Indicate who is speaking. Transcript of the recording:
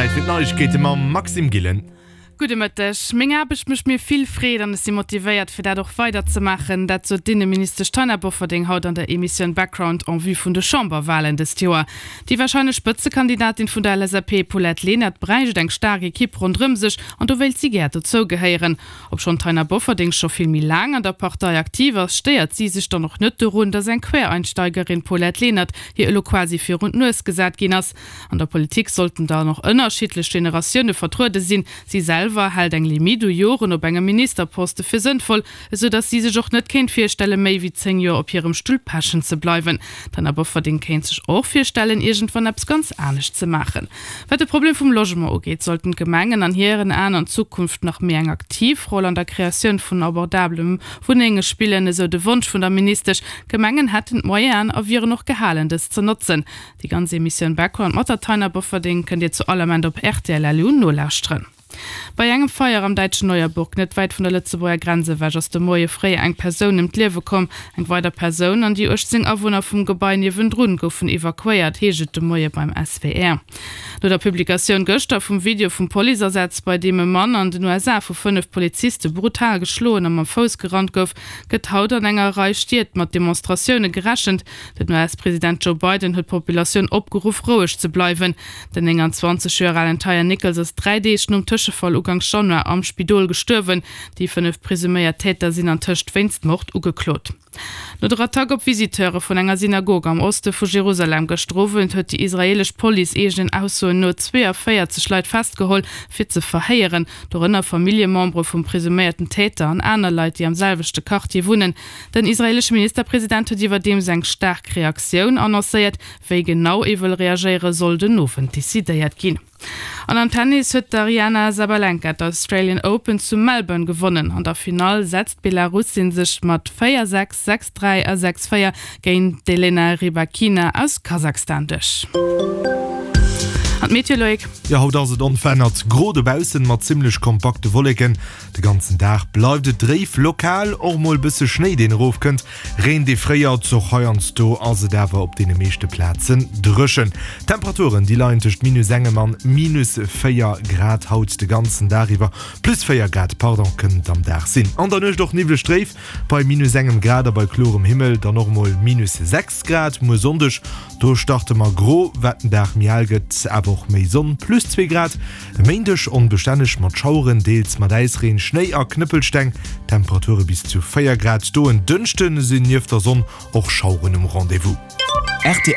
Speaker 1: Zäit fir d'Neiegkeete mam Maxime Gillen.
Speaker 2: Gudde Mëtteg. Meng Aarbecht mécht mir vill Freed an ech si motivéiert fir dat och weider ze maachen. Dat sot d'Inneministesch Taina Bofferding haut an der Emissioun Background en vue vun de Chamberwalen dëst Joer. Déi warscheinlech Spëtzekandidatin vun der LSAP Paulette Lenert bräicht eng staark Ekipp ronderëm sech an do wéilt si gär dozou gehéieren. Obschonn d'Taina Bofferding scho vill méi laang an der Partei aktiv ass, stéiert si sech dann och net dorun, datt eng Quereinsteigerin, Paulette Lenert, hir elo quasi virun d'Nues gesat ginn ass. An der Politik sollten dann och ënnerschiddlech Generatioune vertruede sinn. Si selwer hält eng Limitt u Joren op engem Ministerposte fir sënnvoll, esou datt si sech och net kéint virstelle méi wéi 10 Joer op hirem Stull pechen ze bleiwen. D'Taina Bofferding kéint sech och virstellen, iergendwann eppes ganz anescht ze maachen. Wat de Problem vum Logement ugeet, sollten d'Gemengen an hiren Aen an Zukunft nach méi eng aktiv Roll an der Kreatioun vun abordabele Wunnenge spillen, esou de Wonsch vun der Ministesch. D'Gemengen hätten d'Moyenen a wieren och gehalen, dës ze notzen. Déi ganz Emissioun Background mat der Taina Bofferding kënnt Dir zu all Ament op rtl.lu nolauschteren. Bei engem Feier am däitschen Neuerburg, net wäit vun der Lëtzebuerger Grenz ewech, ass de Moie fréi eng Persoun ëm d'Liewe komm. Eng weider Persoun an déi 18 Awunner vum Gebai niewendrun goufen evakuéiert, heescht et de Moie beim SWR. No der Publikatioun gëschter vum Video vum Policeasaz, bei deem e Mann an den USA vu 5 Poliziste brutal geschloen a mam Fouss gerannt gouf, gëtt haut an enger Rei Stied mat Demonstratioune gerechent. Den US-President Joe Biden huet d'Populatioun opgeruff, roueg ze bleiwen. Den 29 Joer alen Tyre Nichols ass 3 Deeg nom Tëschefall uganks Januar am Spidol gestuerwen. Déi 5 presuméiert Täter sinn antëscht wéinst Mord ugeklot. No der Attack op Visiteure vun enger Synagog am Oste vu Jerusalem gëschter Owend huet déi israeelesch Police eegenen Aussoen no 42 Leit festgeholl, fir ze verhéieren, dorënner Familljemembere vum presuméierten Täter an aner Leit, déi am selwechte Quartier wunnen. Den israeelesche Ministerpresident huet iwwerdeems eng staark Reaktioun annoncéiert. Wéi genau ee wëll reagéiere soll den Owend decidéiert ginn. An am Tennis huet d'Aryana Sabalenka d'Australian Open zu Melbourne gewonnen. An der Finall setzt d'Belarussin sech mat 4, 6, 6, 3 a 6, 4 géint d'Elena Rybakina aus Kasachstan duerch. An d'Meteo, Loïc?
Speaker 1: Jo, haut ass et onverännert gro dobaussen mat zimmlech kompakte Wolleken. De ganzen Dag bleift et dréif, lokal och mol bësse Schnéi deen erofkënnt. Reen dee fréiert, och heiansdo ass et awer op deene meeschte Plazen dréchen. D'Temperaturen déi leien tëscht minus engem an minus 4 Grad haut de ganzen Dag iwwer. Plus 4 Grad, pardon, kënnen et am Dag sinn. An der Nuecht och niwwleg dréif bei minus engem Grad a bei klorem Himmel dann och mol minus 6 Grad. Muer Sonndeg do starte mer gro, wat den Dag méi al gëtt awer och méi Sonn, plus 2 Grad. E Méindeg onbestänneg mat Schaueren, deels mat Äisreen, Schnéi a Knëppelsteng, Temperature bis zu 4 Grad. Do en Dënschde sinn nieft der Sonn och Schaueren um Rendez-vous.
Speaker 2: Rtl.